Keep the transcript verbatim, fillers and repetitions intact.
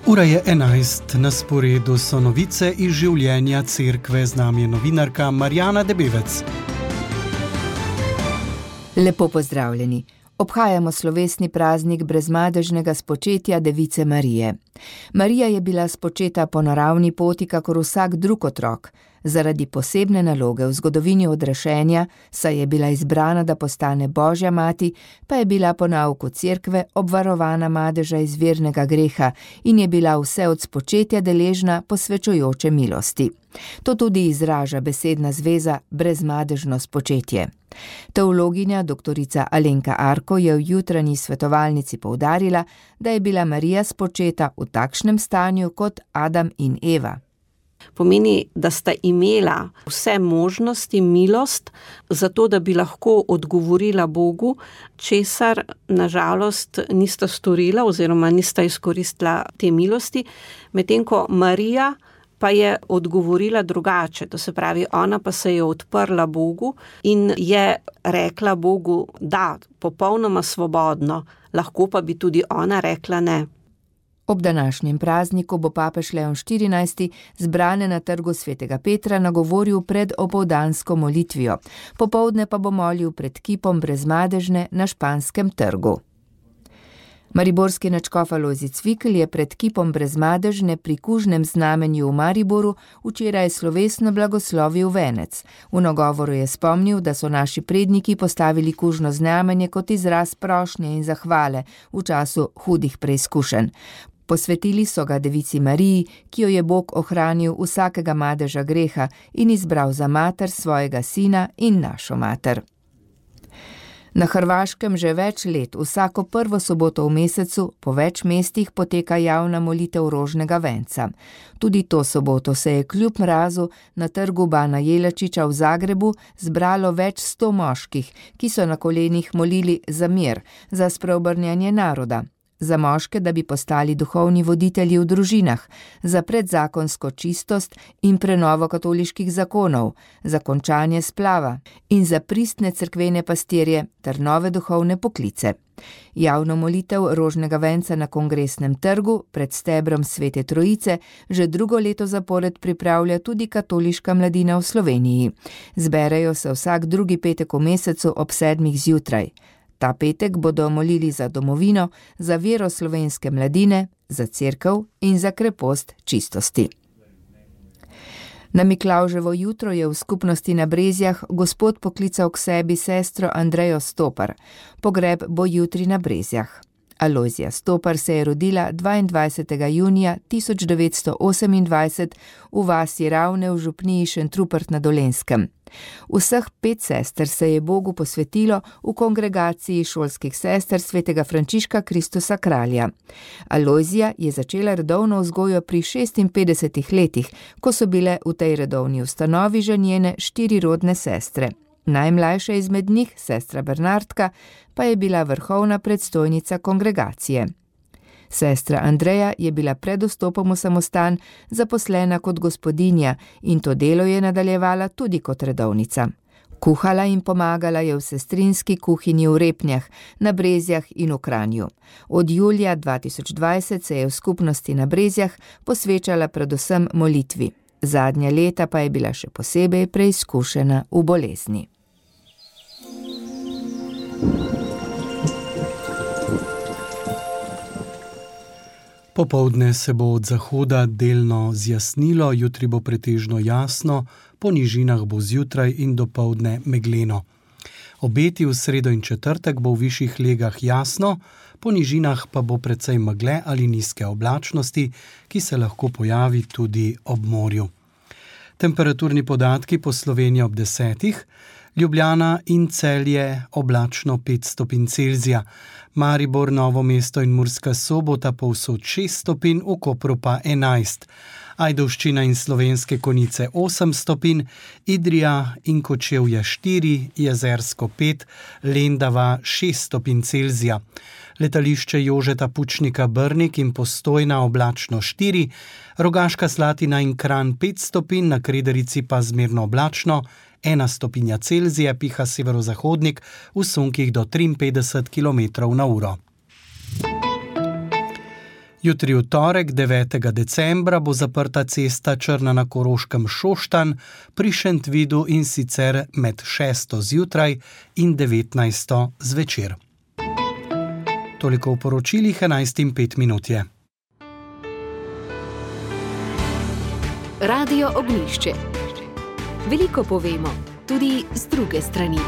Ura je enajst, na sporedu so novice iz življenja cerkve, z nami je novinarka Marjana Debevec. Lepo pozdravljeni. Obhajamo slovesni praznik brezmadežnega spočetja Device Marije. Marija je bila spočeta po naravni poti, kakor vsak drug otrok. Zaradi posebne naloge v zgodovini odrešenja, saj je bila izbrana, da postane Božja mati, pa je bila po nauku cerkve obvarovana madeža iz vernega greha in je bila vse od spočetja deležna posvečujoče milosti. To tudi izraža besedna zveza brezmadežno spočetje. Teologinja doktorica Alenka Arko je v jutranji svetovalnici poudarila, da je bila Marija spočeta v takšnem stanju kot Adam in Eva. Pomeni, da sta imela vse možnosti, milost, zato da bi lahko odgovorila Bogu, česar nažalost nista storila oziroma nista izkoristila te milosti, medtem ko Marija pa je odgovorila drugače, to se pravi, ona pa se je odprla Bogu in je rekla Bogu, da, popolnoma svobodno, lahko pa bi tudi ona rekla ne. Ob današnjem prazniku bo papež Leon štirinajsti zbrane na trgu svetega Petra nagovoril pred opoldansko molitvijo, popoldne pa bo molil pred kipom brezmadežne na Španskem trgu. Mariborski nadškof Alojzij Cvikl je pred kipom brezmadežne pri kužnem znamenju v Mariboru včeraj slovesno blagoslovil venec. V nagovoru je spomnil, da so naši predniki postavili kužno znamenje kot izraz prošnje in zahvale v času hudih preizkušenj. Posvetili so ga Devici Mariji, ki jo je Bog ohranil vsakega madeža greha in izbral za mater svojega sina in našo mater. Na Hrvaškem že več let vsako prvo soboto v mesecu po več mestih poteka javna molitev rožnega venca. Tudi to soboto se je kljub mrazu na trgu Bana Jelačića v Zagrebu zbralo več sto moških, ki so na kolenih molili za mir, za spreobrnjanje naroda, za moške, da bi postali duhovni voditelji v družinah, za predzakonsko čistost in prenovo katoliških zakonov, za končanje splava in za pristne cerkvene pastirje ter nove duhovne poklice. Javno molitev rožnega venca na Kongresnem trgu pred stebrom Svete Trojice že drugo leto zapored pripravlja tudi katoliška mladina v Sloveniji. Zberejo se vsak drugi petek v mesecu ob sedmih zjutraj. Ta petek bodo molili za domovino, za vero slovenske mladine, za cerkev in za krepost čistosti. Na Miklavževo jutro je v skupnosti na Brezjah gospod poklical k sebi sestro Andrejo Stopar. Pogreb bo jutri na Brezjah. Alojzija Stopar se je rodila dvaindvajsetega junija tisoč devetsto osemindvajset v vasi Ravne v župniji Šentrupert na Dolenjskem. Vseh pet sester se je Bogu posvetilo v kongregaciji šolskih sester svetega Frančiška Kristusa Kralja. Alojzija je začela redovno vzgojo pri šestinpetdesetih letih, ko so bile v tej redovni ustanovi že njene štiri rodne sestre. Najmlajša izmed njih, sestra Bernardka, pa je bila vrhovna predstojnica kongregacije. Sestra Andreja je bila pred vstopom v samostan zaposlena kot gospodinja in to delo je nadaljevala tudi kot redovnica. Kuhala in pomagala je v sestrinski kuhinji v Repnjah, na Brezjah in v Kranju. Od julija dva tisoč dvajset se je v skupnosti na Brezjah posvečala predvsem molitvi. Zadnja leta pa je bila še posebej preizkušena v bolezni. Popoldne se bo od zahoda delno zjasnilo, jutri bo pretežno jasno, po nižinah bo zjutraj in dopoldne megleno. Obeti v sredo in četrtek bo v višjih legah jasno, po nižinah pa bo precej megle ali nizke oblačnosti, ki se lahko pojavi tudi ob morju. Temperaturni podatki po Sloveniji ob desetih, Ljubljana in Celje oblačno pet stopinj Celzija, Maribor, Novo mesto in Murska Sobota povsod šest stopinj, v Kopru pa enajst. Ajdovščina in Slovenske Konjice osem stopinj, Idrija in Kočevje štiri, Jezersko pet, Lendava šest stopinj Celzija. Letališče Jožeta Pučnika Brnik in Postojna oblačno štiri, Rogaška Slatina in Kranj pet stopinj, na Kredarici pa zmerno oblačno, ena stopinja Celzija, piha severozahodnik v sunkih do triinpetdeset kilometrov na uro. Jutri v torek, devetega decembra, bo zaprta cesta Črna na Koroškem Šoštanj pri Šentvidu, in sicer med šesto zjutraj in devetnajsto zvečer. Toliko v poročilih, enajst in pet minut je. Radio Ognjišče. Veliko povemo, tudi z druge strani.